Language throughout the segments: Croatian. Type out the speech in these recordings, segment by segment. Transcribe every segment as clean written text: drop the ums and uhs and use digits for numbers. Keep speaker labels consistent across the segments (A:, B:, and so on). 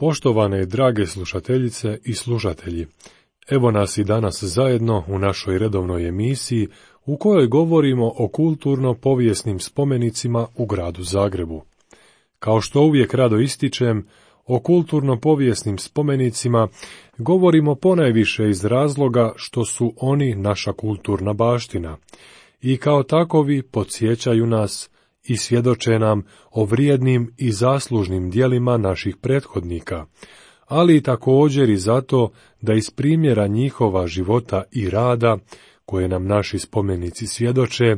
A: Poštovane drage slušateljice i slušatelji, evo nas i danas zajedno u našoj redovnoj emisiji u kojoj govorimo o kulturno-povijesnim spomenicima u gradu Zagrebu. Kao što uvijek rado ističem, o kulturno-povijesnim spomenicima govorimo ponajviše iz razloga što su oni naša kulturna baština i kao takovi podsjećaju nas i svjedoče nam o vrijednim i zaslužnim djelima naših prethodnika, ali i također i zato da iz primjera njihova života i rada, koje nam naši spomenici svjedoče,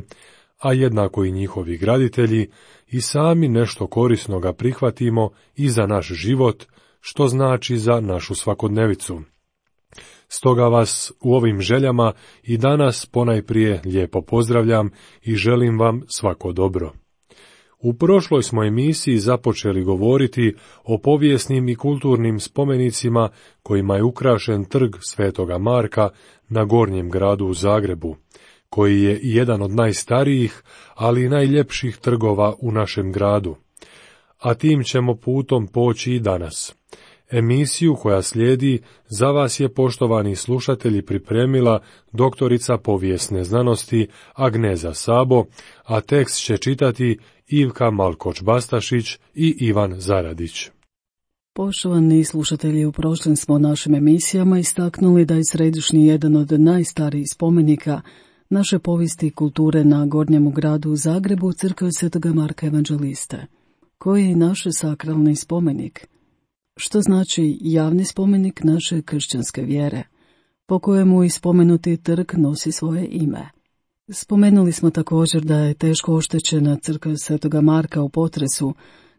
A: a jednako i njihovi graditelji, i sami nešto korisnoga prihvatimo i za naš život, što znači za našu svakodnevicu. Stoga vas u ovim željama i danas ponajprije lijepo pozdravljam i želim vam svako dobro. U prošloj smo emisiji započeli govoriti o povijesnim i kulturnim spomenicima kojima je ukrašen trg Svetoga Marka na Gornjem gradu u Zagrebu, koji je jedan od najstarijih, ali i najljepših trgova u našem gradu. A tim ćemo putom poći i danas. Emisiju koja slijedi za vas je, poštovani slušatelji, pripremila doktorica povijesne znanosti Agneza Sabo, a tekst će čitati Ivka Malkoč-Bastašić i Ivan Zaradić.
B: Poštovani slušatelji, u prošlim smo našim emisijama istaknuli da je središnji jedan od najstarijih spomenika naše povijesti i kulture na Gornjemu gradu u Zagrebu crkva Svetoga Marka Evanđeliste, koji je naš sakralni spomenik, što znači javni spomenik naše kršćanske vjere, po kojemu i spomenuti trg nosi svoje ime. Spomenuli smo također da je teško oštećena crkva Svetoga Marka u potresu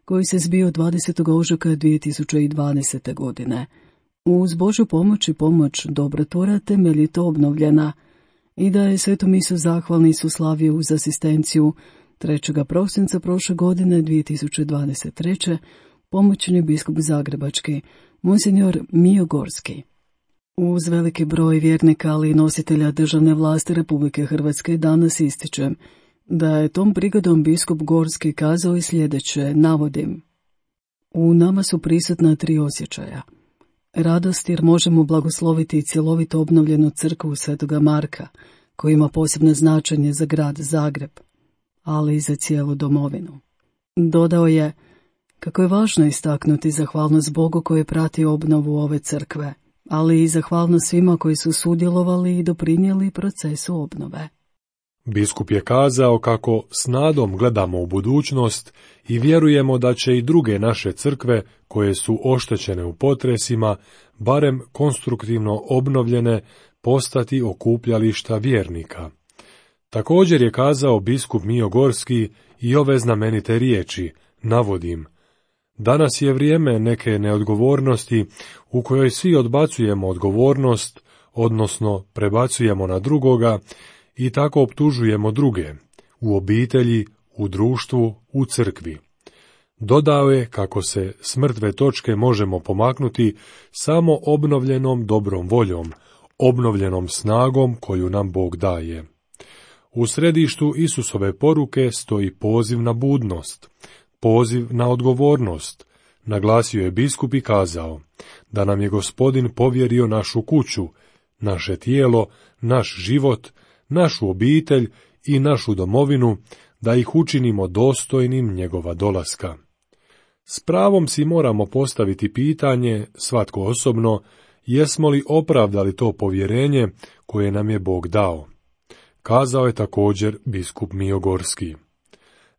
B: koji se zbio 20. ožujka 2020. godine. Uz Božju pomoć i pomoć dobrotvora temeljito obnovljena i da je Svetu misu zahvalni su slavio uz asistenciju 3. prosinca prošle godine 2023. pomoćni biskup zagrebački, monsinjor Mijo Gorski. Uz veliki broj vjernika, ali i nositelja državne vlasti Republike Hrvatske danas ističem da je tom prigodom biskup Gorski kazao i sljedeće, navodim: u nama su prisutna 3 osjećaja. Radost jer možemo blagosloviti cjelovito obnovljenu crkvu Svetoga Marka, koja ima posebno značenje za grad Zagreb, ali i za cijelu domovinu. Dodao je kako je važno istaknuti zahvalnost Bogu koji je pratio obnovu ove crkve, ali i zahvalnost svima koji su sudjelovali i doprinijeli procesu obnove.
A: Biskup je kazao kako s nadom gledamo u budućnost i vjerujemo da će i druge naše crkve, koje su oštećene u potresima, barem konstruktivno obnovljene, postati okupljališta vjernika. Također je kazao biskup Mijo Gorski i ove znamenite riječi, navodim: danas je vrijeme neke neodgovornosti u kojoj svi odbacujemo odgovornost, odnosno prebacujemo na drugoga i tako optužujemo druge, u obitelji, u društvu, u crkvi. Dodao je kako se s mrtve točke možemo pomaknuti samo obnovljenom dobrom voljom, obnovljenom snagom koju nam Bog daje. U središtu Isusove poruke stoji poziv na budnost, poziv na odgovornost, naglasio je biskup i kazao da nam je Gospodin povjerio našu kuću, naše tijelo, naš život, našu obitelj i našu domovinu, da ih učinimo dostojnim njegova dolaska. S pravom si moramo postaviti pitanje, svatko osobno, jesmo li opravdali to povjerenje koje nam je Bog dao. Kazao je također biskup Mijo Gorski.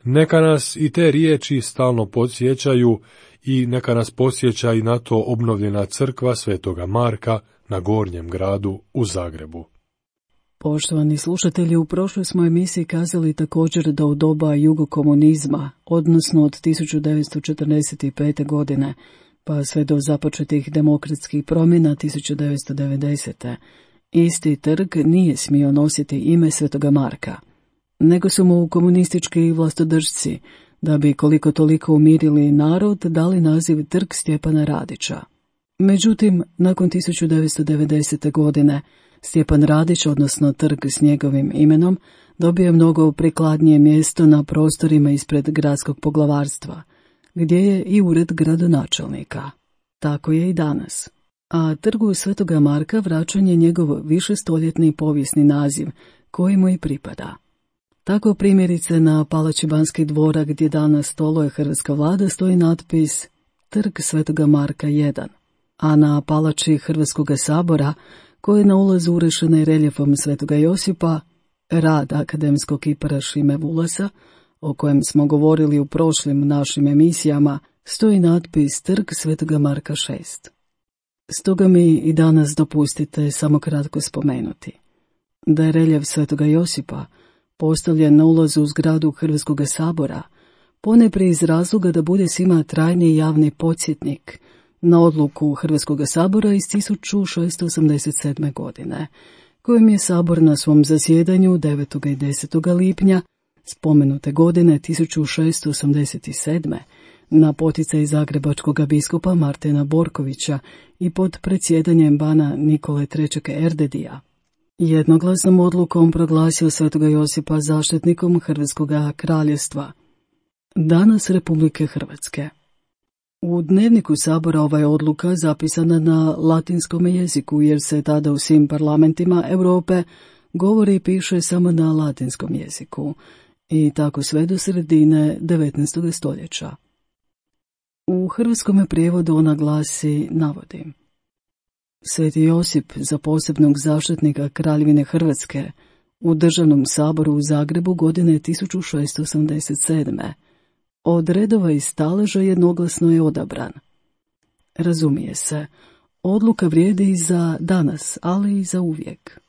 A: Neka nas i te riječi stalno podsjećaju i neka nas podsjeća i na to obnovljena crkva Svetoga Marka na Gornjem gradu u Zagrebu.
B: Poštovani slušatelji, u prošloj smo emisiji kazali također da u doba jugokomunizma, odnosno od 1945. godine, pa sve do započetih demokratskih promjena 1990. isti trg nije smio nositi ime Svetoga Marka, nego su mu komunistički vlastodržci, da bi koliko toliko umirili narod, dali naziv Trg Stjepana Radića. Međutim, nakon 1990. godine, Stjepan Radić, odnosno trg s njegovim imenom, dobio je mnogo prikladnije mjesto na prostorima ispred gradskog poglavarstva, gdje je i ured gradonačelnika. tako je i danas. A trgu Svetoga Marka vraćan je njegov višestoljetni povijesni naziv, koji mu i pripada. Tako primjerice na palači Banskih dvora, gdje danas stoluje hrvatska vlada, stoji natpis Trg Svetoga Marka 1, a na palači Hrvatskoga sabora, koje je na ulazu urešena i reljefom Svetoga Josipa, rad akademskog kipara Šime Vulasa, o kojem smo govorili u prošlim našim emisijama, stoji natpis Trg Svetoga Marka 6. Stoga mi i danas dopustite samo kratko spomenuti da je reljef Svetoga Josipa postavljen na ulazu u zgradu Hrvatskoga sabora, ponajprije iz razloga da bude svima trajni javni podsjetnik na odluku Hrvatskoga sabora iz 1687. godine, kojim je sabor na svom zasjedanju 9. i 10. lipnja spomenute godine 1687. na poticaj zagrebačkog biskupa Martina Borkovića i pod predsjedanjem bana Nikole III. Erdedija jednoglasnom odlukom proglasio Svetoga Josipa zaštitnikom Hrvatskoga kraljevstva, danas Republike Hrvatske. U dnevniku sabora ova je odluka zapisana na latinskom jeziku, jer se tada u svim parlamentima Europe govori i piše samo na latinskom jeziku, i tako sve do sredine 19. stoljeća. U hrvatskome prijevodu ona glasi, navodim: Sveti Josip za posebnog zaštitnika Kraljevine Hrvatske u Državnom saboru u Zagrebu godine 1687. Od redova i staleža jednoglasno je odabran. Razumije se, odluka vrijedi i za danas, ali i za uvijek.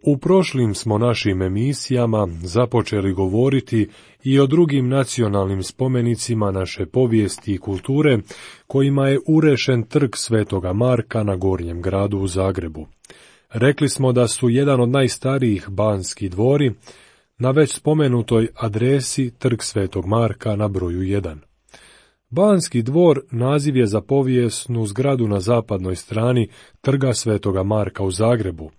A: U prošlim smo našim emisijama započeli govoriti i o drugim nacionalnim spomenicima naše povijesti i kulture, kojima je urešen trg Svetoga Marka na Gornjem gradu u Zagrebu. Rekli smo da su jedan od najstarijih Banski dvori na već spomenutoj adresi Trg Svetog Marka na broju 1. Banski dvor naziv je za povijesnu zgradu na zapadnoj strani Trga Svetoga Marka u Zagrebu,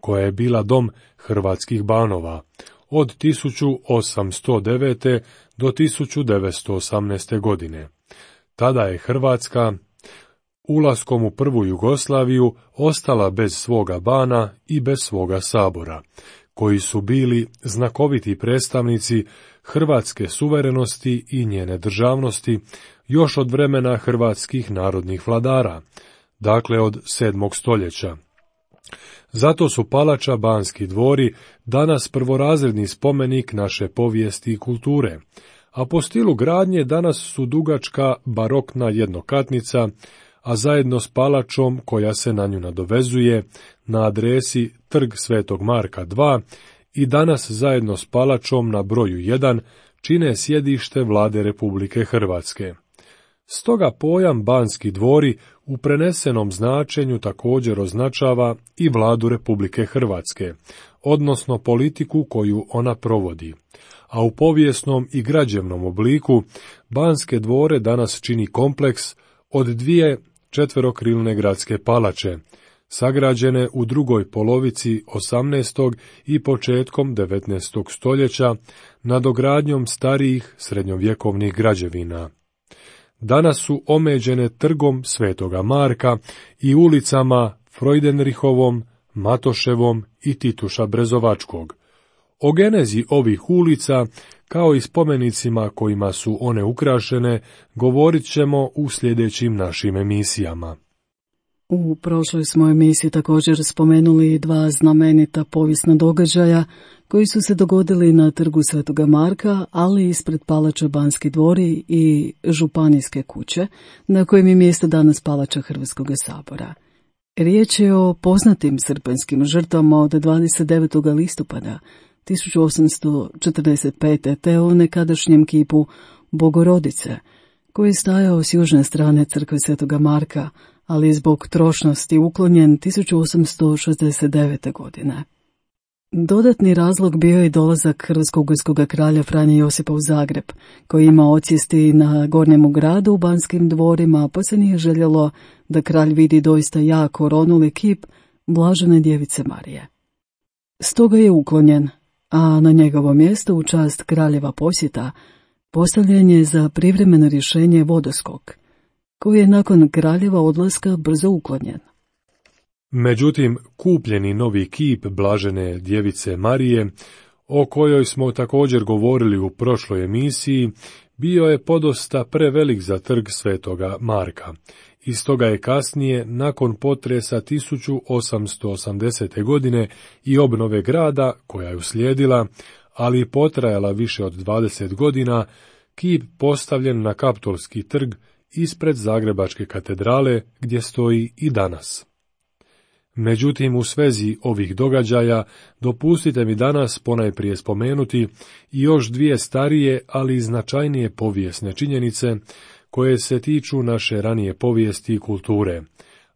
A: koja je bila dom hrvatskih banova od 1809. do 1918. godine. Tada je Hrvatska ulaskom u prvu Jugoslaviju ostala bez svoga bana i bez svoga sabora, koji su bili znakoviti predstavnici hrvatske suverenosti i njene državnosti još od vremena hrvatskih narodnih vladara, dakle od 7. stoljeća. Zato su palača Banski dvori danas prvorazredni spomenik naše povijesti i kulture, a po stilu gradnje danas su dugačka barokna jednokatnica, a zajedno s palačom koja se na nju nadovezuje na adresi Trg Svetog Marka 2 i danas zajedno s palačom na broju 1 čine sjedište vlade Republike Hrvatske. Stoga pojam Banski dvori u prenesenom značenju također označava i vladu Republike Hrvatske, odnosno politiku koju ona provodi, a u povijesnom i građevnom obliku Banske dvore danas čini kompleks od 2 četverokrilne gradske palače, sagrađene u drugoj polovici 18. i početkom 19. stoljeća nadogradnjom starijih srednjovjekovnih građevina. Danas su omeđene trgom Svetoga Marka i ulicama Freudenrichovom, Matoševom i Tituša Brezovačkog. O genezi ovih ulica, kao i spomenicima kojima su one ukrašene, govorit ćemo u sljedećim našim emisijama.
B: U prošloj smo emisiji također spomenuli 2 znamenita povijesna događaja koji su se dogodili na Trgu Svetoga Marka, ali ispred palača Banski dvori i županijske kuće, na kojem je mjesto danas palača Hrvatskog sabora. Riječ je o poznatim srpanjskim žrtvama od 29. listopada 1845. te o nekadašnjem kipu Bogorodice, koji je stajao s južne strane crkve Svetoga Marka, ali je zbog trošnosti uklonjen 1869. godine. Dodatni razlog bio je dolazak hrvatsko-ugarskog kralja Franje Josipa u Zagreb, koji ima odsjesti na Gornjemu gradu u Banskim dvorima, pa se nije željelo da kralj vidi doista jako oronuli kip Blažene djevice Marije. Stoga je uklonjen, a na njegovo mjesto u čast kraljeva posjeta postavljen je za privremeno rješenje vodoskok, koji je nakon kraljeva odlaska brzo uklonjen.
A: Međutim, kupljeni novi kip blažene djevice Marije, o kojoj smo također govorili u prošloj emisiji, bio je podosta prevelik za trg Svetoga Marka. I stoga je kasnije, nakon potresa 1880. godine i obnove grada, koja je uslijedila, ali potrajala više od 20 godina, kip postavljen na Kaptolski trg ispred Zagrebačke katedrale, gdje stoji i danas. Međutim, u svezi ovih događaja, dopustite mi danas ponajprije spomenuti i još dvije starije, ali značajnije povijesne činjenice, koje se tiču naše ranije povijesti i kulture,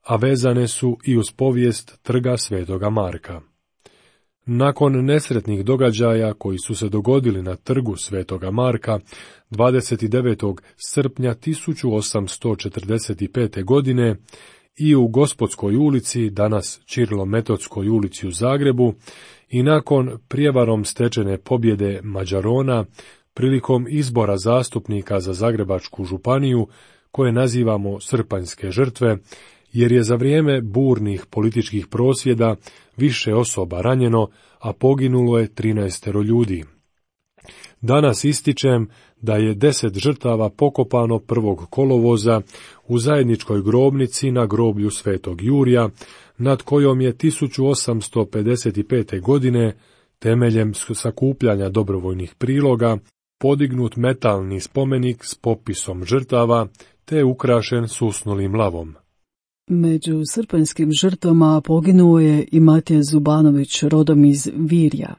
A: a vezane su i uz povijest trga Svetoga Marka. Nakon nesretnih događaja koji su se dogodili na trgu Svetoga Marka 29. srpnja 1845. godine i u Gospodskoj ulici, danas Ćirilo-Metodskoj ulici u Zagrebu, i nakon prijevarom stečene pobjede Mađarona prilikom izbora zastupnika za Zagrebačku županiju, koje nazivamo srpanjske žrtve, jer je za vrijeme burnih političkih prosvjeda više osoba ranjeno, a poginulo je 13 ljudi. Danas ističem da je 10 žrtava pokopano 1. kolovoza u zajedničkoj grobnici na groblju Svetog Jurija, nad kojom je 1855. godine, temeljem sakupljanja dobrovoljnih priloga, podignut metalni spomenik s popisom žrtava, te ukrašen susnulim lavom.
B: Među srpanjskim žrtvama poginuo je i Matija Zubanović, rodom iz Virja.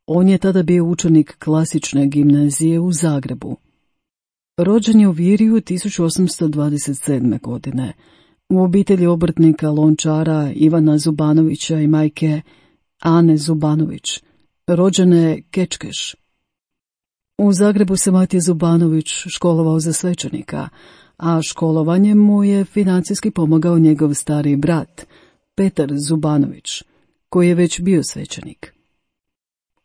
B: On je tada bio učenik klasične gimnazije u Zagrebu. Rođen je u Virju 1827. godine, u obitelji obrtnika lončara Ivana Zubanovića i majke Ane Zubanović, rođene Kečkeš. U Zagrebu se Matija Zubanović školovao za svećenika, a školovanjem mu je financijski pomogao njegov stariji brat, Petar Zubanović, koji je već bio svećenik.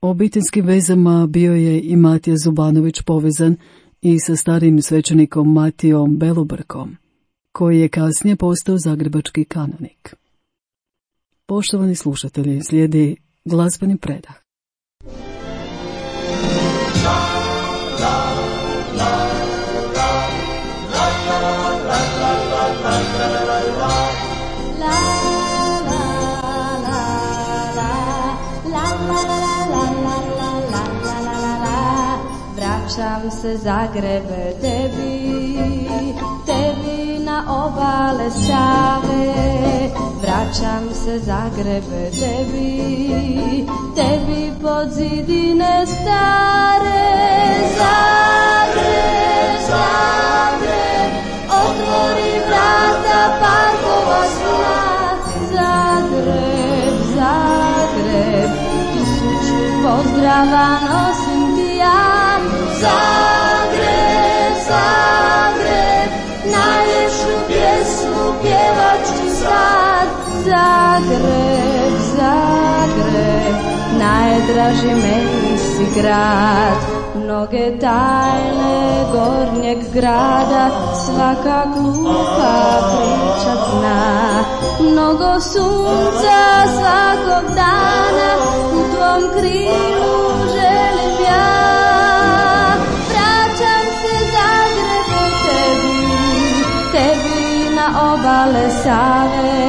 B: Obiteljskim vezama bio je i Matija Zubanović povezan i sa starim svećenikom Matijom Belobrkom, koji je kasnije postao zagrebački kanonik. Poštovani slušatelji, slijedi glazbeni predah.
C: Vraćam se Zagrebe tebi na obale Save. Vraćam se Zagrebe tebi pod zidine stare. Zagreb, otvori vrata parkova sna. Zagreb, 1000 pozdrava nosim ti ja. Zagreb, najljepšu pjesmu pjevat ću sad. Zagreb, najdraži meni si grad. Mnoge tajne gornjeg grada svaka glupa priča zna. Mnogo sunca svakog dana u tvom krilu želim ja. Tebi na obale Save.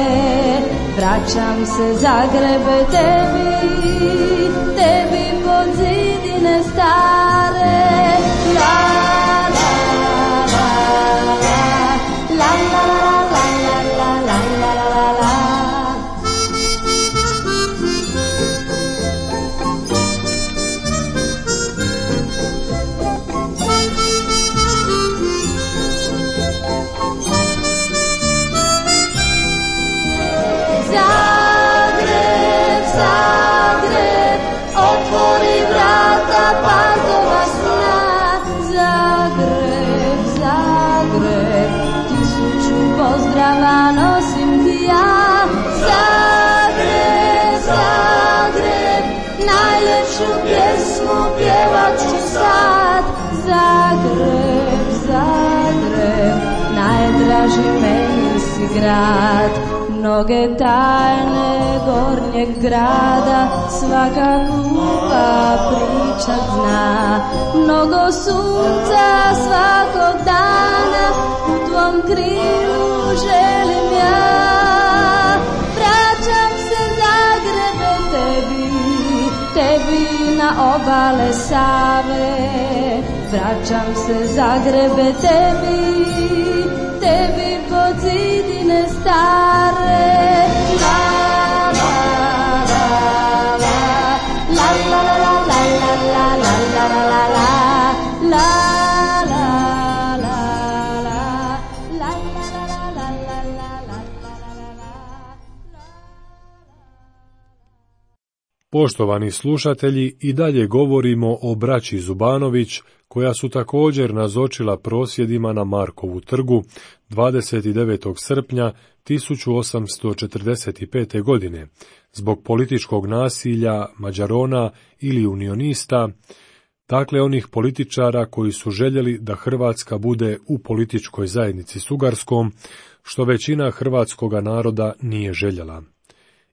C: Vraćam se Zagrebe tebi pod zidine stare. La la la la la la la la la. Zagreb, otvori vrata parkova sna. Zagreb, 1000 pozdrava nosim ti ja. Zagreb, najljepšu pjesmu pjevat ću sad. Zagreb, najdraži kaži meni si grad, mnoge tajne gornjeg grada, svaka glupa priča zna, mnogo sunca svakog dana, u tvom krilu želim ja. Vraćam se Zagrebe tebi na obale Save, vraćam se Zagrebe tebi pod zidine stare. La la la la la la la la la la la la la la.
A: Poštovani slušatelji, i dalje govorimo o braći Zubanović, koja su također nazočila prosvjedima na Markovu trgu 29. srpnja 1845. godine, zbog političkog nasilja Mađarona ili unionista, dakle onih političara koji su željeli da Hrvatska bude u političkoj zajednici s Ugarskom, što većina hrvatskoga naroda nije željela.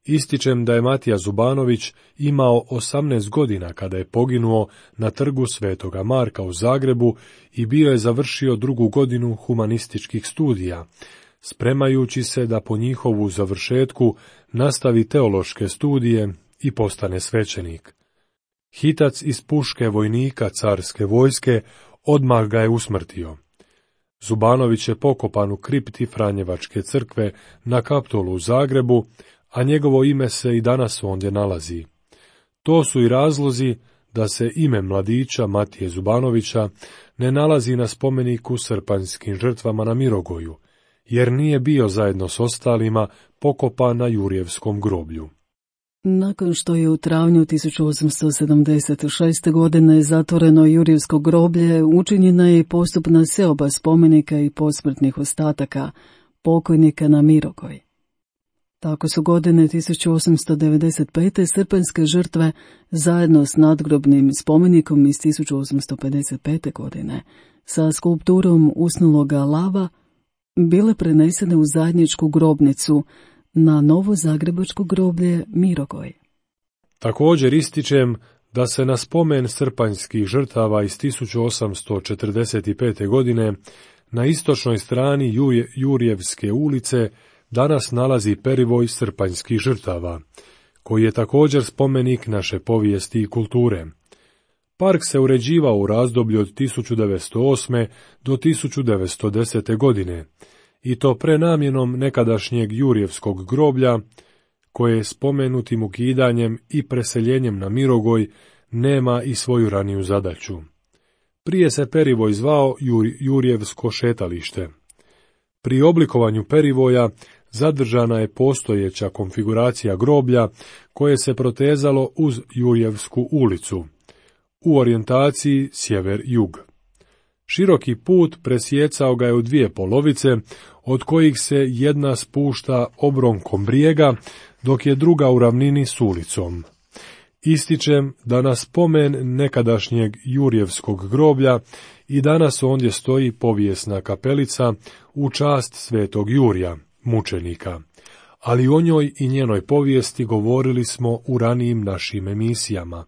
A: Ističem da je Matija Zubanović imao 18 godina kada je poginuo na trgu Svetoga Marka u Zagrebu i bio je završio 2. godinu humanističkih studija, spremajući se da po njihovu završetku nastavi teološke studije i postane svećenik. Hitac iz puške vojnika carske vojske odmah ga je usmrtio. Zubanović je pokopan u kripti Franjevačke crkve na Kaptolu u Zagrebu, a njegovo ime se i danas ondje nalazi. To su i razlozi da se ime mladića Matije Zubanovića ne nalazi na spomeniku srpanjskim žrtvama na Mirogoju, jer nije bio zajedno s ostalima pokopan na Jurjevskom groblju.
B: Nakon što je u travnju 1876. godine zatvoreno Jurjevsko groblje, učinjena je postupna seoba spomenika i posmrtnih ostataka pokojnika na Mirogoj. Tako su godine 1895. srpanjske žrtve zajedno s nadgrobnim spomenikom iz 1855. godine sa skulpturom usnuloga lava bile prenesene u zajedničku grobnicu na novo zagrebačko groblje Mirogoj.
A: Također ističem da se na spomen srpanjskih žrtava iz 1845. godine na istočnoj strani Jurjevske ulice danas nalazi perivoj srpanjskih žrtava, koji je također spomenik naše povijesti i kulture. Park se uređivao u razdoblju od 1908. do 1910. godine, i to prenamjenom nekadašnjeg Jurjevskog groblja, koje spomenutim ukidanjem i preseljenjem na Mirogoj nema i svoju raniju zadaću. Prije se perivoj zvao Jurjevsko šetalište. Pri oblikovanju perivoja zadržana je postojeća konfiguracija groblja koje se protezalo uz Jurjevsku ulicu, u orijentaciji sjever-jug. Široki put presjecao ga je u 2 polovice, od kojih se jedna spušta obronkom brijega, dok je druga u ravnini s ulicom. Ističem da na spomen nekadašnjeg Jurjevskog groblja i danas ondje stoji povijesna kapelica u čast Svetog Jurja, mučenika, ali o njoj i njenoj povijesti govorili smo u ranijim našim emisijama.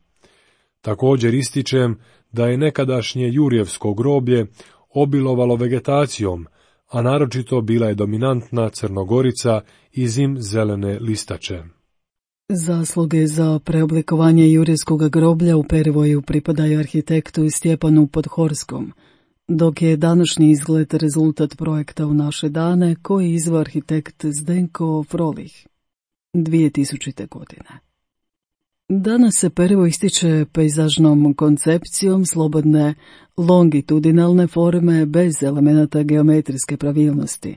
A: Također ističem da je nekadašnje Jurjevsko groblje obilovalo vegetacijom, a naročito bila je dominantna crnogorica i zimzelene listače.
B: Zasluge za preoblikovanje Jurjevskog groblja u perivoju pripadaju arhitektu Stjepanu Podhorskom, dok je današnji izgled rezultat projekta u naše dane koji izveo arhitekt Zdenko Frolih 2000. godine. Danas se perivoj ističe pejzažnom koncepcijom slobodne longitudinalne forme bez elemenata geometrijske pravilnosti,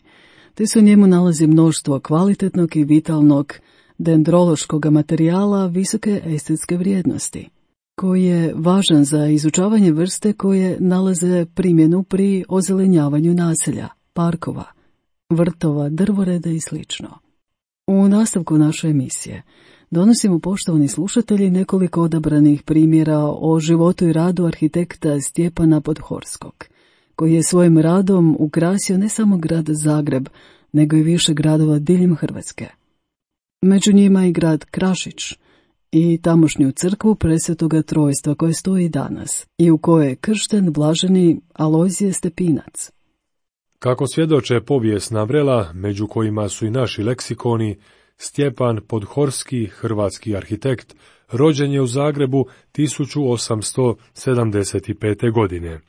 B: te se u njemu nalazi mnoštvo kvalitetnog i vitalnog dendrološkog materijala visoke estetske vrijednosti, koji je važan za izučavanje vrste koje nalaze primjenu pri ozelenjavanju naselja, parkova, vrtova, drvoreda i sl. U nastavku naše emisije donosimo, poštovani slušatelji, nekoliko odabranih primjera o životu i radu arhitekta Stjepana Podhorskog, koji je svojim radom ukrasio ne samo grad Zagreb, nego i više gradova diljem Hrvatske. Među njima i grad Krašić i tamošnju crkvu Presvetoga Trojstva koja stoji danas i u kojoj je kršten blaženi Alojzije Stepinac.
A: Kako svjedoče povijesna vrela, među kojima su i naši leksikoni, Stjepan Podhorski, hrvatski arhitekt, rođen je u Zagrebu 1875. godine.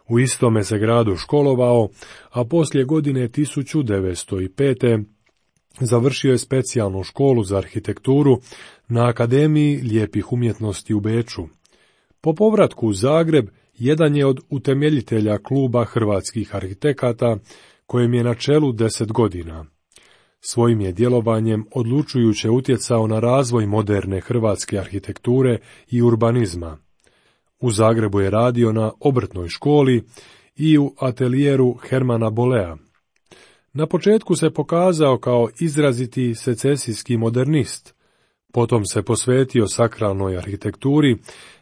A: U istome se gradu školovao, a poslije godine 1905. završio je specijalnu školu za arhitekturu na Akademiji lijepih umjetnosti u Beču. Po povratku u Zagreb, jedan je od utemeljitelja kluba hrvatskih arhitekata, kojem je na čelu 10 godina. Svojim je djelovanjem odlučujuće utjecao na razvoj moderne hrvatske arhitekture i urbanizma. U Zagrebu je radio na obrtnoj školi i u atelijeru Hermana Bolea. Na početku se pokazao kao izraziti secesijski modernist, potom se posvetio sakralnoj arhitekturi,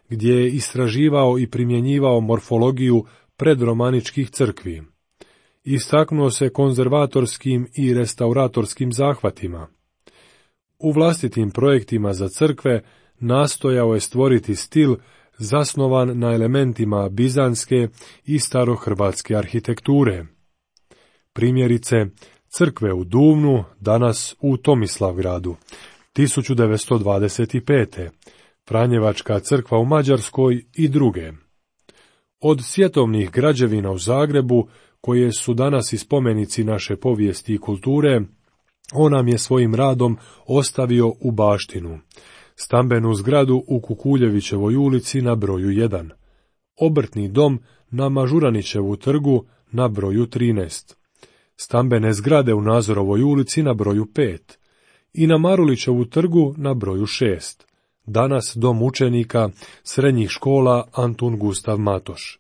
A: gdje je istraživao i primjenjivao morfologiju predromaničkih crkvi. Istaknuo se konzervatorskim i restauratorskim zahvatima. U vlastitim projektima za crkve nastojao je stvoriti stil zasnovan na elementima bizanske i starohrvatske arhitekture. Primjerice, crkve u Duvnu, danas u Tomislavgradu, 1925. Franjevačka crkva u Mađarskoj i druge. Od svjetovnih građevina u Zagrebu, koje su danas i spomenici naše povijesti i kulture, on nam je svojim radom ostavio u baštinu. Stambenu zgradu u Kukuljevićevoj ulici na broju 1, obrtni dom na Mažuranićevu trgu na broju 13, stambene zgrade u Nazorovoj ulici na broju 5 i na Marulićevu trgu na broju 6, danas dom učenika srednjih škola Antun Gustav Matoš.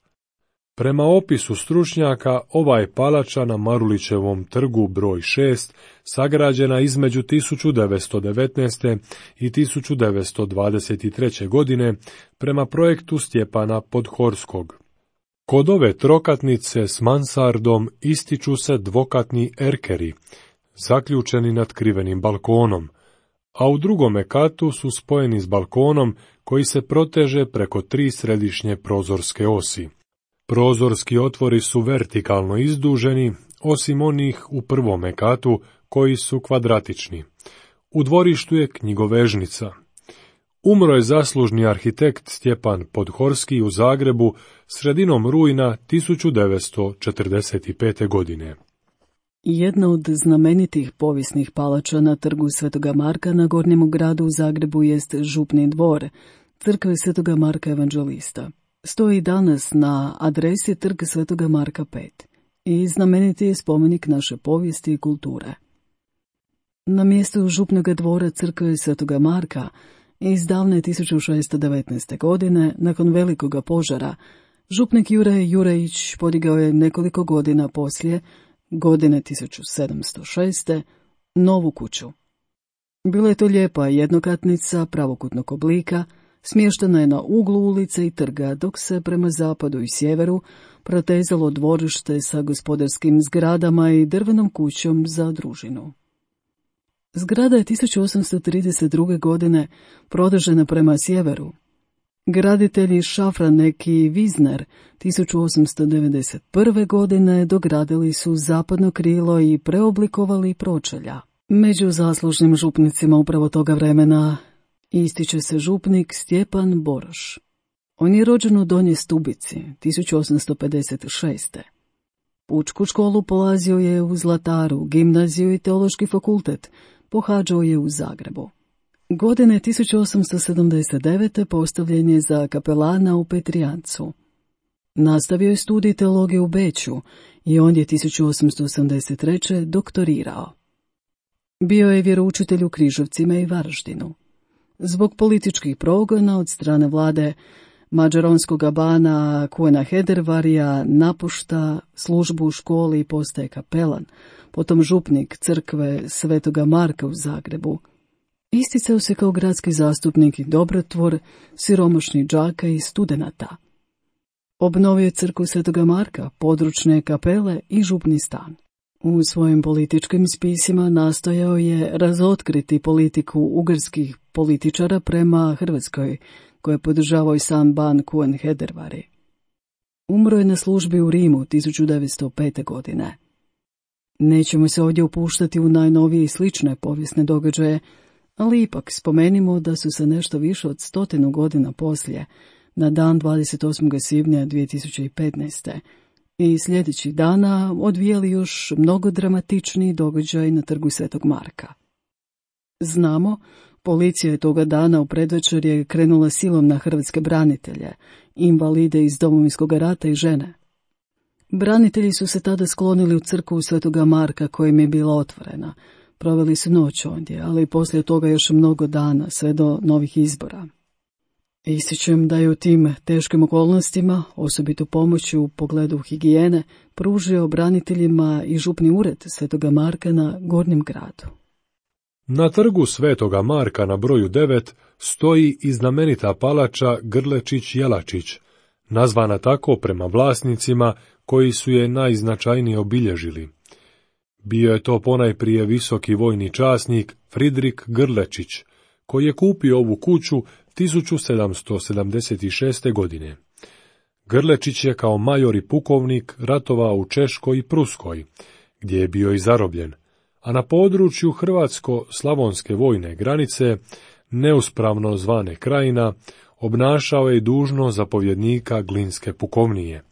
A: Prema opisu stručnjaka, ova je palača na Marulićevom trgu broj 6 sagrađena između 1919. i 1923. godine prema projektu Stjepana Podhorskog. Kod ove trokatnice s mansardom ističu se dvokatni erkeri, zaključeni nad krivenim balkonom, a u drugome katu su spojeni s balkonom koji se proteže preko 3 središnje prozorske osi. Prozorski otvori su vertikalno izduženi, osim onih u prvome katu koji su kvadratični. U dvorištu je knjigovežnica. Umro je zaslužni arhitekt Stjepan Podhorski u Zagrebu sredinom rujna 1945. godine.
B: Jedna od znamenitih povijesnih palača na trgu Svetoga Marka na Gornjemu gradu u Zagrebu jest Župni dvor, crkve Svetoga Marka Evanđelista. Stoji danas na adresi Trg Svetoga Marka 5 i znameniti je spomenik naše povijesti i kulture. Na mjestu Župnoga dvora crkve Svetoga Marka iz davne 1619. godine, nakon velikoga požara, župnik Juraj Jurejić podigao je nekoliko godina poslije, godine 1706. novu kuću. Bila je to lijepa jednokatnica pravokutnog oblika, smještena je na uglu ulice i trga, dok se prema zapadu i sjeveru protezalo dvorište sa gospodarskim zgradama i drvenom kućom za družinu. Zgrada je 1832. godine produžena prema sjeveru. Graditelji Šafranek i Vizner 1891. godine dogradili su zapadno krilo i preoblikovali pročelja. Među zaslužnim župnicima upravo toga vremena ističe se župnik Stjepan Boroš. On je rođen u Donjoj Stubici 1856. Pučku školu polazio je u Zlataru, gimnaziju i teološki fakultet pohađao je u Zagrebu. Godine 1879. postavljen je za kapelana u Petrijancu. Nastavio je studij teologije u Beču i on je 1883. doktorirao. Bio je vjeroučitelj u Križevcima i Varaždinu. Zbog političkih progona od strane vlade mađaronskog bana Kuena Hedervarija napušta službu u školi i postaje kapelan, potom župnik crkve Svetoga Marka u Zagrebu. Isticao se kao gradski zastupnik i dobrotvor siromašnih đaka i studenata. Obnovio je crkvu Svetoga Marka, područne kapele i župni stan. U svojim političkim spisima nastojao je razotkriti politiku ugarskih političara prema Hrvatskoj, koje je podržavao i sam ban Kuen Hedervari. Umro je na službi u Rimu 1905. godine. Nećemo se ovdje upuštati u najnovije i slične povijesne događaje, ali ipak spomenimo da su se nešto više od 100 godina poslije, na dan 28. svibnja 2015. i sljedećih dana odvijali još mnogo dramatičniji događaj na trgu Svetog Marka. Znamo, policija je toga dana u predvečer je krenula silom na hrvatske branitelje, invalide iz Domovinskog rata i žene. Branitelji su se tada sklonili u crkvu Svetoga Marka kojim je bila otvorena. Proveli su noć ondje, ali poslije toga još mnogo dana, sve do novih izbora. Ističem da je u tim teškim okolnostima, osobito pomoći u pogledu higijene, pružio braniteljima i župni ured Svetoga Marka na Gornjem gradu.
A: Na trgu Svetoga Marka na broju 9 stoji i znamenita palača Grlečić-Jelačić, nazvana tako prema vlasnicima koji su je najznačajnije obilježili. Bio je to ponajprije visoki vojni časnik Fridrik Grlečić, koji je kupio ovu kuću 1776. godine. Grlečić je kao major i pukovnik ratovao u Češkoj i Pruskoj, gdje je bio i zarobljen, a na području hrvatsko-slavonske vojne granice, neuspravno zvane Krajina, obnašao je dužnost zapovjednika Glinske pukovnije.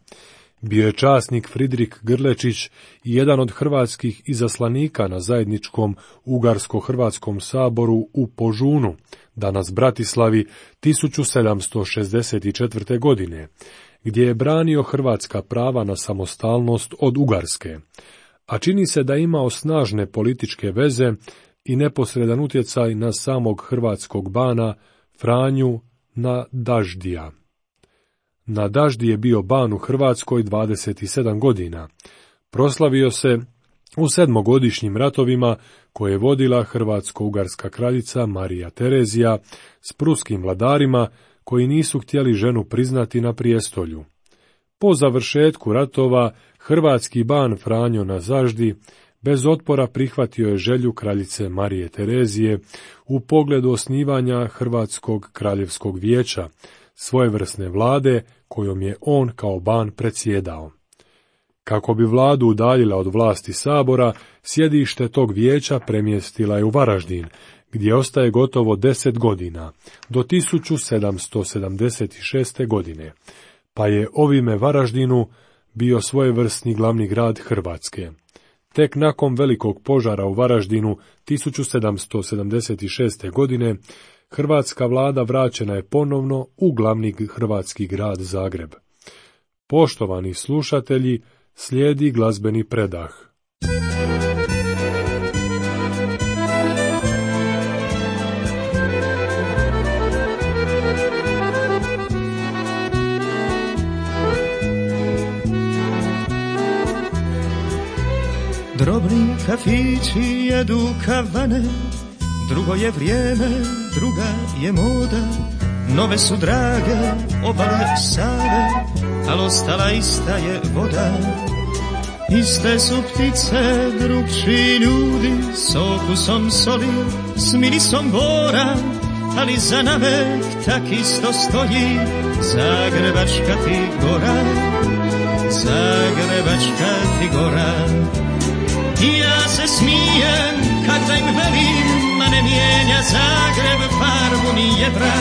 A: Bio je časnik Fridrik Grlečić i jedan od hrvatskih izaslanika na zajedničkom Ugarsko-hrvatskom saboru u Požunu, danas Bratislavi, 1764. godine, gdje je branio hrvatska prava na samostalnost od Ugarske, a čini se da je imao snažne političke veze i neposredan utjecaj na samog hrvatskog bana Franju Nadaždija. Nadaždi je bio ban u Hrvatskoj 27 godina. Proslavio se u sedmogodišnjim ratovima koje je vodila hrvatsko-ugarska kraljica Marija Terezija s pruskim vladarima koji nisu htjeli ženu priznati na prijestolju. Po završetku ratova hrvatski ban Franjo Nadaždi bez otpora prihvatio je želju kraljice Marije Terezije u pogledu osnivanja Hrvatskog kraljevskog vijeća, svojevrsne vlade kojom je on kao ban predsjedao. Kako bi vladu udaljila od vlasti sabora, sjedište tog vijeća premjestila je u Varaždin, gdje ostaje gotovo 10 godina, do 1776. godine, pa je ovime Varaždinu bio svojevrsni glavni grad Hrvatske. Tek nakon velikog požara u Varaždinu 1776. godine, hrvatska vlada vraćena je ponovno u glavni hrvatski grad Zagreb. Poštovani slušatelji, slijedi glazbeni predah.
D: Drobni kafići jedu kavane, drugo je vrijeme, druga je moda, nove su drage obale Save, ali ostala ista je voda. Iste su ptice, drugčiji ljudi, s okusom soli, s mirisom bora, ali za navek tak isto stoji Zagrebačka ti gora, Zagrebačka ti gora. I ja se smijem kad da im velim, ma ne mijenja Zagreb farbu ni jedra,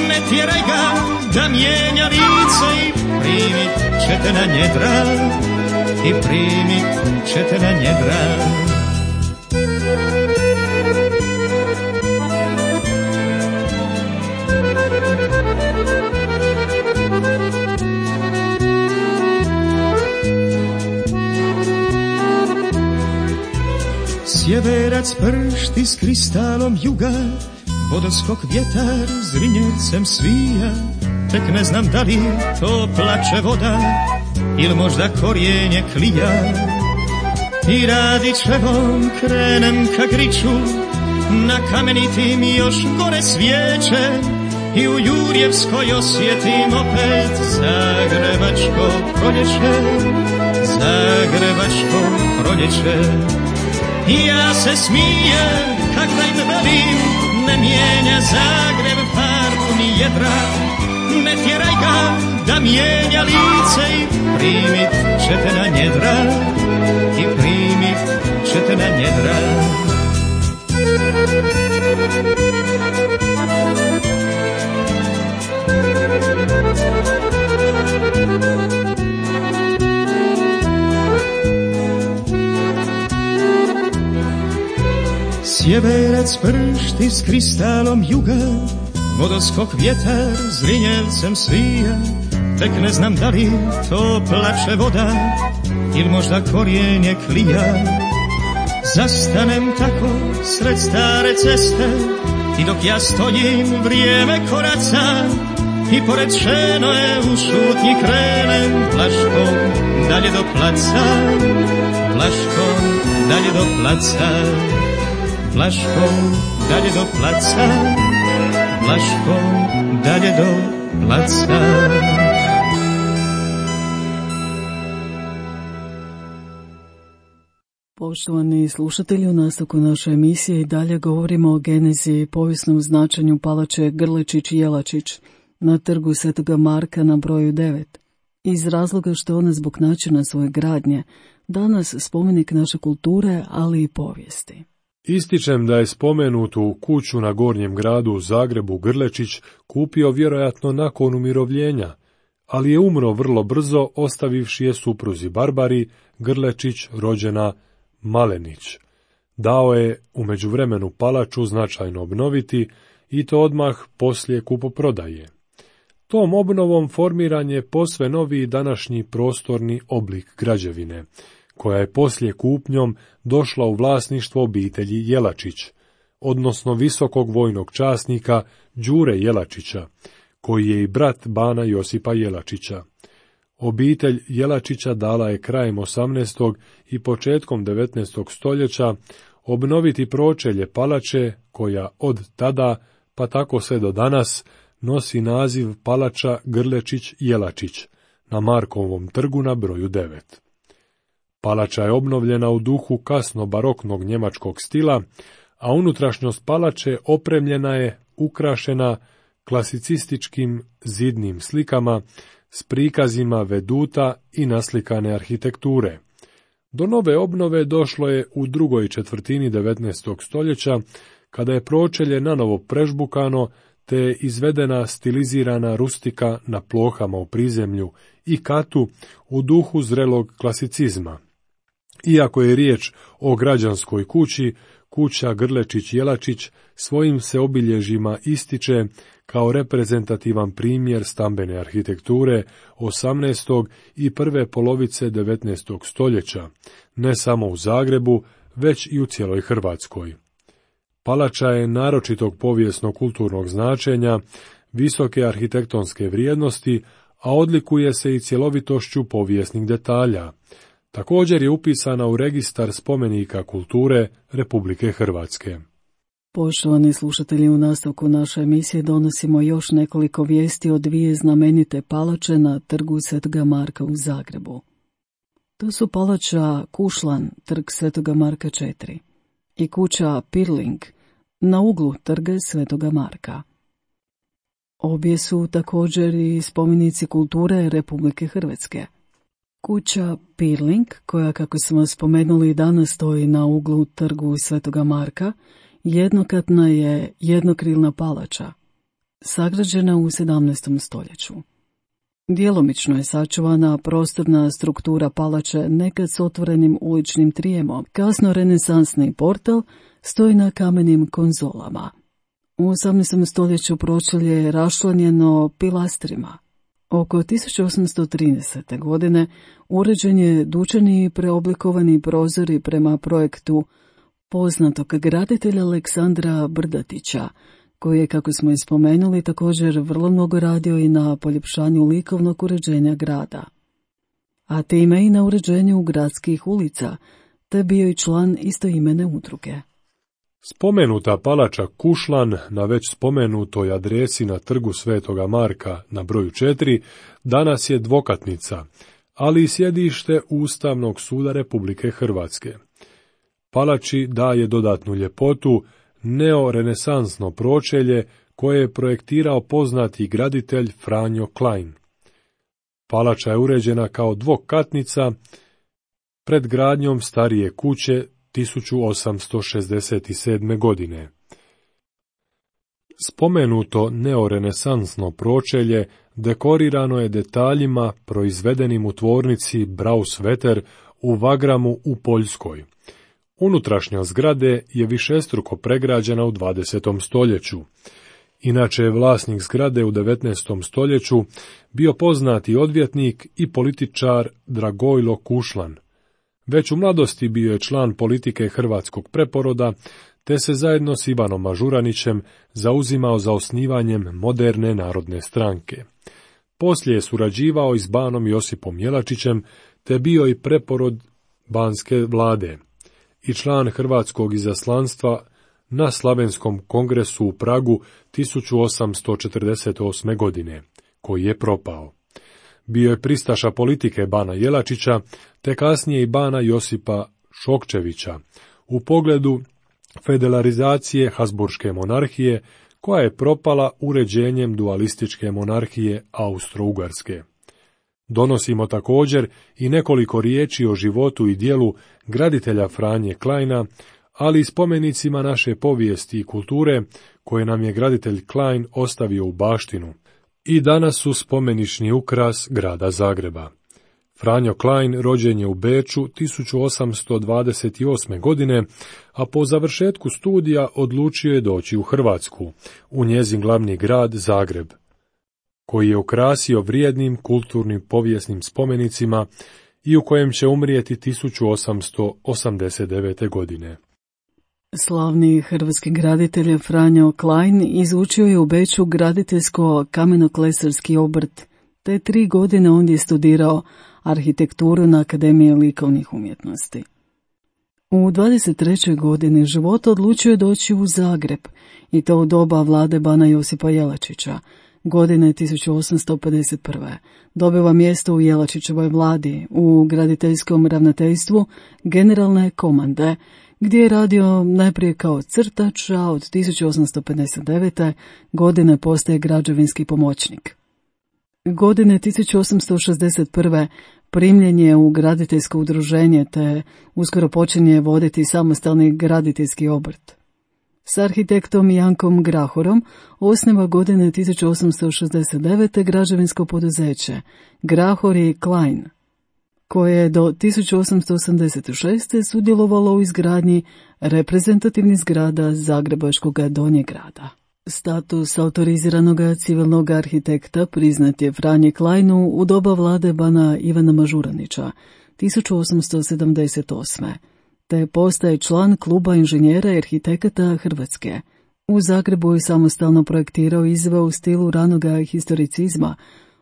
D: ne tjeraj ga da mijenja lice i primit ćete na njedra, i primit ćete na njedra. Sjeverac pršti s kristalom juga, vodoskok vjetar zrinjevcem svija, tek ne znam da li to plače voda ili možda korijenje klija. I Radićevom krenem ka Griču, na kamenitim još gore svijeće, i u Jurjevskoj osjetim opet zagrebačko proljeće, zagrebačko proljeće. I ja se smijem, kak da im velim, ne mijenja Zagreb farbu ni jedra, ne tjeraj ga da mijenja lice i primit ćete na njedra, i primit ćete na njedra. Sjeverac pršti s kristalom juga, vodoskok vjetar Zrinjevcem svija, tek ne znam da li to plače voda ili možda korijenje klija. Zastanem tako sred stare ceste i dok ja stojim vrijeme koraca i pored šenoje u šutnji krenem plaškom dalje do placa, plaškom dalje do placa, plaškom dalje do placa, plaškom dalje do placa.
B: Poštovani slušatelji, u nastavku naše emisije i dalje govorimo o genezi i povijesnom značenju palače Grlečić-Jelačić na trgu Svetoga Marka na broju 9. Iz razloga što ona zbog načina svoje gradnje danas spomenik naše kulture, ali i povijesti.
A: Ističem da je spomenutu kuću na Gornjem gradu u Zagrebu Grlečić kupio vjerojatno nakon umirovljenja, ali je umro vrlo brzo ostavivši je supruzi Barbari Grlečić rođena Malenić. Dao je u međuvremenu palaču značajno obnoviti i to odmah poslije kupoprodaje. Tom obnovom formiran je posve novi današnji prostorni oblik građevine, koja je poslije kupnjom došla u vlasništvo obitelji Jelačić, odnosno visokog vojnog časnika Đure Jelačića, koji je i brat bana Josipa Jelačića. Obitelj Jelačića dala je krajem 18. i početkom 19. stoljeća obnoviti pročelje palače, koja od tada, pa tako sve do danas, nosi naziv palača Grlečić-Jelačić na Markovom trgu na broju 9. Palača je obnovljena u duhu kasno baroknog njemačkog stila, a unutrašnjost palače opremljena je, ukrašena klasicističkim zidnim slikama s prikazima veduta i naslikane arhitekture. Do nove obnove došlo je u drugoj četvrtini 19. stoljeća, kada je pročelje nanovo prežbukano, te je izvedena stilizirana rustika na plohama u prizemlju i katu u duhu zrelog klasicizma. Iako je riječ o građanskoj kući, kuća Grlečić-Jelačić svojim se obilježjima ističe kao reprezentativan primjer stambene arhitekture 18. i prve polovice 19. stoljeća, ne samo u Zagrebu, već i u cijeloj Hrvatskoj. Palača je naročitog povijesno-kulturnog značenja, visoke arhitektonske vrijednosti, a odlikuje se i cjelovitošću povijesnih detalja. Također je upisana u registar spomenika kulture Republike Hrvatske.
B: Poštovani slušatelji, u nastavku naše emisije donosimo još nekoliko vijesti o dvije znamenite palače na trgu Svetoga Marka u Zagrebu. To su palača Kušlan, trg Svetoga Marka 4, i kuća Pirling na uglu trga Svetoga Marka. Obje su također i spomenici kulture Republike Hrvatske. Kuća Pirling, koja, kako smo spomenuli, danas stoji na uglu trgu Svetoga Marka, jednokatna je jednokrilna palača, sagrađena u 17. stoljeću. Djelomično je sačuvana prostorna struktura palače, nekad s otvorenim uličnim trijemom. Kasno renesansni portal stoji na kamenim konzolama. U 18. stoljeću pročelje je raščlanjeno pilastrima. Oko 1830. godine uređen je dućani i preoblikovani prozori prema projektu poznatog graditelja Aleksandra Brdatića, koji je, kako smo i spomenuli, također vrlo mnogo radio i na poljepšanju likovnog uređenja grada, a time i na uređenju gradskih ulica, te bio i član istoimene udruge.
A: Spomenuta palača Kušlan na već spomenutoj adresi na trgu Svetoga Marka na broju 4 danas je dvokatnica, ali i sjedište Ustavnog suda Republike Hrvatske. Palači daje dodatnu ljepotu neorenesansno pročelje koje je projektirao poznati graditelj Franjo Klein. Palača je uređena kao dvokatnica pred gradnjom starije kuće 1867. godine. Spomenuto neorenesansno pročelje dekorirano je detaljima proizvedenim u tvornici Brausvetter u Wagramu u Poljskoj. Unutrašnja zgrade je višestruko pregrađena u 20. stoljeću. Inače je vlasnik zgrade u 19. stoljeću bio poznati odvjetnik i političar Dragojlo Kušlan. Već u mladosti bio je član politike hrvatskog preporoda, te se zajedno s Ivanom Mažuranićem zauzimao za osnivanjem moderne narodne stranke. Poslije je surađivao i s banom Josipom Jelačićem, te bio i preporod banske vlade i član hrvatskog izaslanstva na Slavenskom kongresu u Pragu 1848. godine, koji je propao. Bio je pristaša politike bana Jelačića, te kasnije i bana Josipa Šokčevića, u pogledu federalizacije Habsburške monarhije, koja je propala uređenjem dualističke monarhije Austro-Ugarske. Donosimo također i nekoliko riječi o životu i djelu graditelja Franje Kleina, ali i spomenicima naše povijesti i kulture koje nam je graditelj Klein ostavio u baštinu i danas su spomenični ukras grada Zagreba. Franjo Klein rođen je u Beču 1828. godine, a po završetku studija odlučio je doći u Hrvatsku, u njezin glavni grad Zagreb, koji je ukrasio vrijednim kulturnim povijesnim spomenicima i u kojem će umrijeti 1889. godine.
B: Slavni hrvatski graditelj Franjo Klein izučio je u Beču graditeljsko-kamenoklesarski obrt, te 3 godine ondje studirao arhitekturu na Akademiji likovnih umjetnosti. U 23. godini života odlučio je doći u Zagreb, i to u doba vlade bana Josipa Jelačića, godine 1851. Dobiva mjesto u Jelačićevoj vladi, u graditeljskom ravnateljstvu generalne komande, gdje je radio najprije kao crtač, a od 1859. godine postaje građevinski pomoćnik. Godine 1861. primljen je u graditeljsko udruženje, te uskoro počinje voditi samostalni graditeljski obrt. S arhitektom Jankom Grahorom osniva godine 1869. građevinsko poduzeće Grahor i Klein, koje je do 1886. sudjelovalo u izgradnji reprezentativnih zgrada Zagrebačkog Donjeg grada. Status autoriziranog civilnog arhitekta priznat je Franji Kleinu u doba vlade bana Ivana Mažuranića 1878. te postaje član kluba inženjera i arhitekata Hrvatske. U Zagrebu je samostalno projektirao i izveo u stilu ranoga historicizma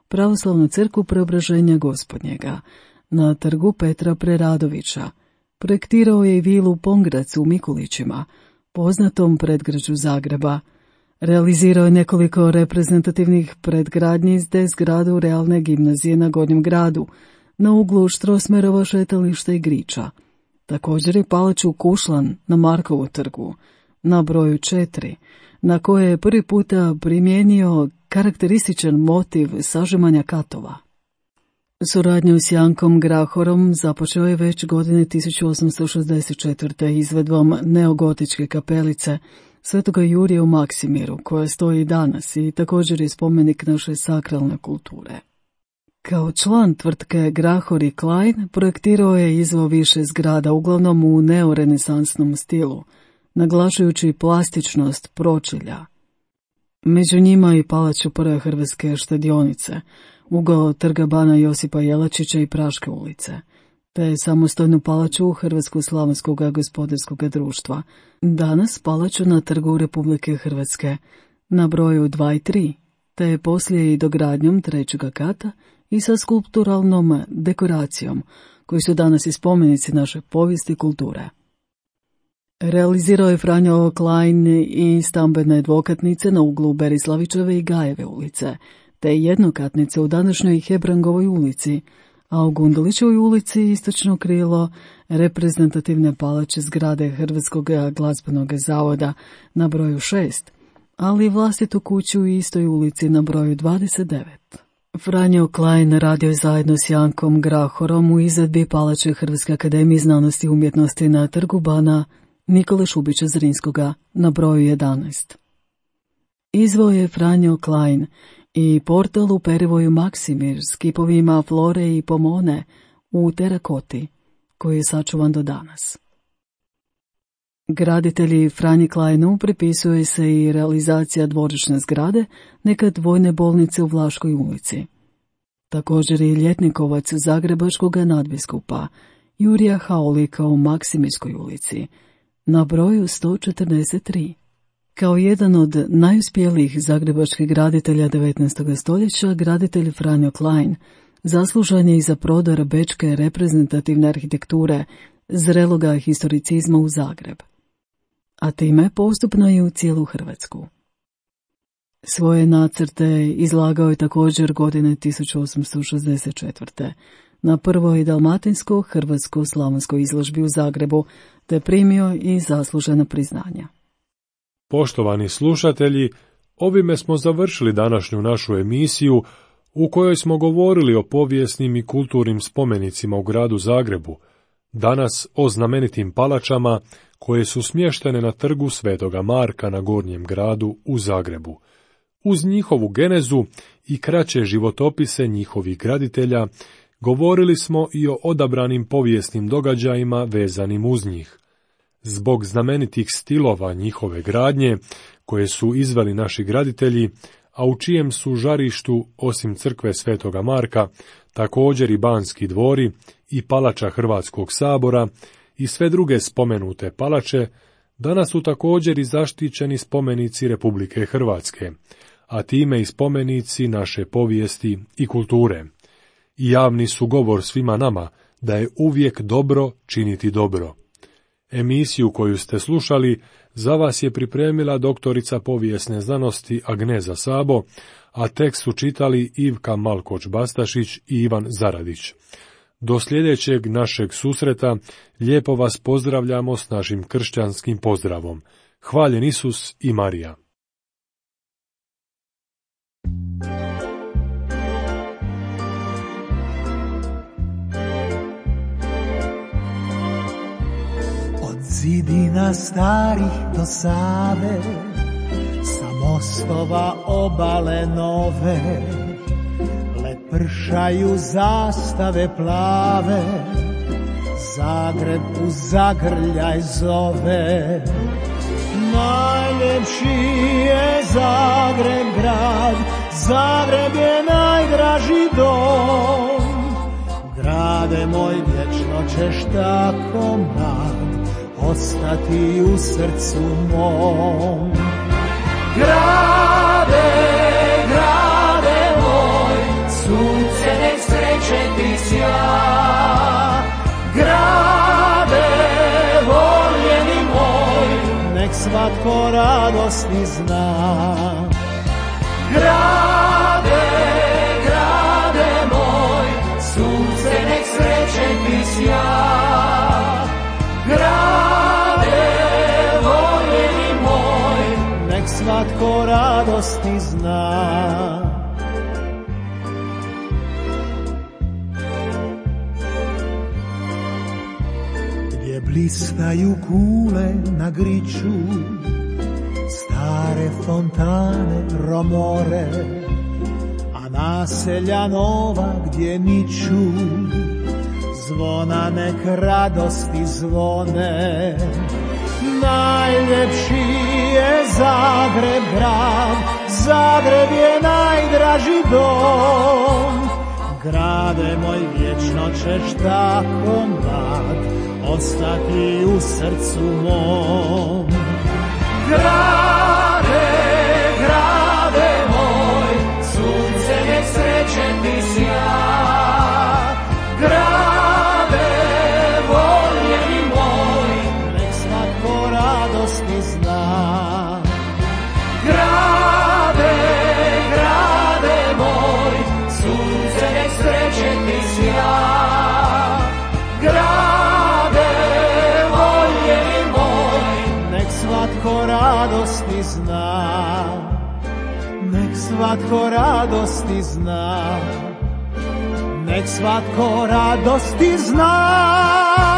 B: pravoslavnu crkvu Preobraženja Gospodnjega na trgu Petra Preradovića. Projektirao je i vilu Pongrac u Mikulićima, poznatom predgrađu Zagreba. Realizirao je nekoliko reprezentativnih predgradnji te zgradu realne gimnazije na Gornjem gradu, na uglu Štrosmerova šetališta i Griča. Također je palaču Kušlan na Markovu trgu, na broju 4, na koje je prvi puta primijenio karakterističan motiv sažimanja katova. Suradnju s Jankom Grahorom započeo je već godine 1864. izvedbom neogotičke kapelice Svetoga Jurija u Maksimiru, koja stoji danas i također je spomenik naše sakralne kulture. Kao član tvrtke Grahor i Klein projektirao je i izveo više zgrada, uglavnom u neorenesansnom stilu, naglašujući plastičnost pročelja. Među njima i palaču prve hrvatske štedionice, ugao trga bana Josipa Jelačića i Praške ulice, te samostojnu palaču Hrvatsko-slavonskog gospodarskog društva, danas palaču na trgu Republike Hrvatske, na broju 2 i 3, te poslije i dogradnjom 3. kata i sa skulpturalnom dekoracijom, koji su danas i spomenici naše povijesti i kulture. Realizirao je Franjo Klein i stambene dvokatnice na uglu Berislavićeve i Gajeve ulice, te jednokatnice u današnjoj Hebrangovoj ulici, a u Gundulićevoj ulici istočno krilo reprezentativne palače zgrade Hrvatskog glazbenog zavoda na broju 6, ali vlastitu kuću u istoj ulici na broju 29. Franjo Klein radio je zajedno s Jankom Grahorom u izvedbi palače Hrvatske akademije znanosti i umjetnosti na Trgu bana Nikole Šubića Zrinskoga na broju 11. Izveo je Franjo Klein i portal u perivoju Maksimir s kipovima Flore i Pomone u terakoti, koji je sačuvan do danas. Graditelji Franji Kleinu pripisuje se i realizacija dvorišne zgrade, nekad vojne bolnice u Vlaškoj ulici. Također i ljetnikovac zagrebačkog nadbiskupa Jurija Haulika u Maksimirskoj ulici na broju 143. Kao jedan od najuspjelijih zagrebačkih graditelja 19. stoljeća, graditelj Franjo Klein zaslužan je i za prodor bečke reprezentativne arhitekture zreloga historicizma u Zagreb, a time postupno i u cijelu Hrvatsku. Svoje nacrte izlagao je također godine 1864. na prvoj dalmatinsko-hrvatsko-slavonskoj izložbi u Zagrebu, te primio i zaslužena priznanja.
A: Poštovani slušatelji, ovime smo završili današnju našu emisiju u kojoj smo govorili o povijesnim i kulturnim spomenicima u gradu Zagrebu, danas o znamenitim palačama koje su smještene na trgu Svetoga Marka na Gornjem gradu u Zagrebu. Uz njihovu genezu i kraće životopise njihovih graditelja, govorili smo i o odabranim povijesnim događajima vezanim uz njih. Zbog znamenitih stilova njihove gradnje, koje su izveli naši graditelji, a u čijem su žarištu, osim crkve Svetoga Marka, također i Banski dvori i palača Hrvatskog sabora i sve druge spomenute palače, danas su također i zaštićeni spomenici Republike Hrvatske, a time i spomenici naše povijesti i kulture. I javni su govor svima nama da je uvijek dobro činiti dobro. Emisiju koju ste slušali za vas je pripremila doktorica povijesne znanosti Agneza Sabo, a tekst su čitali Ivka Malkoč-Bastašić i Ivan Zaradić. Do sljedećeg našeg susreta lijepo vas pozdravljamo s našim kršćanskim pozdravom. Hvaljen Isus i Marija.
E: Zidina starih do Save, sa mostova obale nove, lepršaju zastave plave, Zagreb u zagrljaj zove. Najljepši je Zagreb grad, Zagreb je najdraži dom. Grade moj, vječno ćeš tako mlad ostati u srcu mom. Grade, grade moj, sunce nek sreće ti sja. Grade, voljeni moj, nek svatko radosti zna. Grade, grade moj, sunce nek sreće ti sja. Grade, voljeni moj, nek svatko radosti zna. Gdje blistaju kule na griču, stare fontane romore, a naselja nova gdje niču, zvona nek radosti zvone. Najljepši je Zagreb grad, Zagreb je najdraži dom. Grade moj, vječno ćeš tako mlad ostati u srcu mom. Grade, grade moj, sunce nek sreće ti sja. Grade, voljeni moj, nek svatko radosti zna, nek svatko radosti zna, nek svatko radosti zna.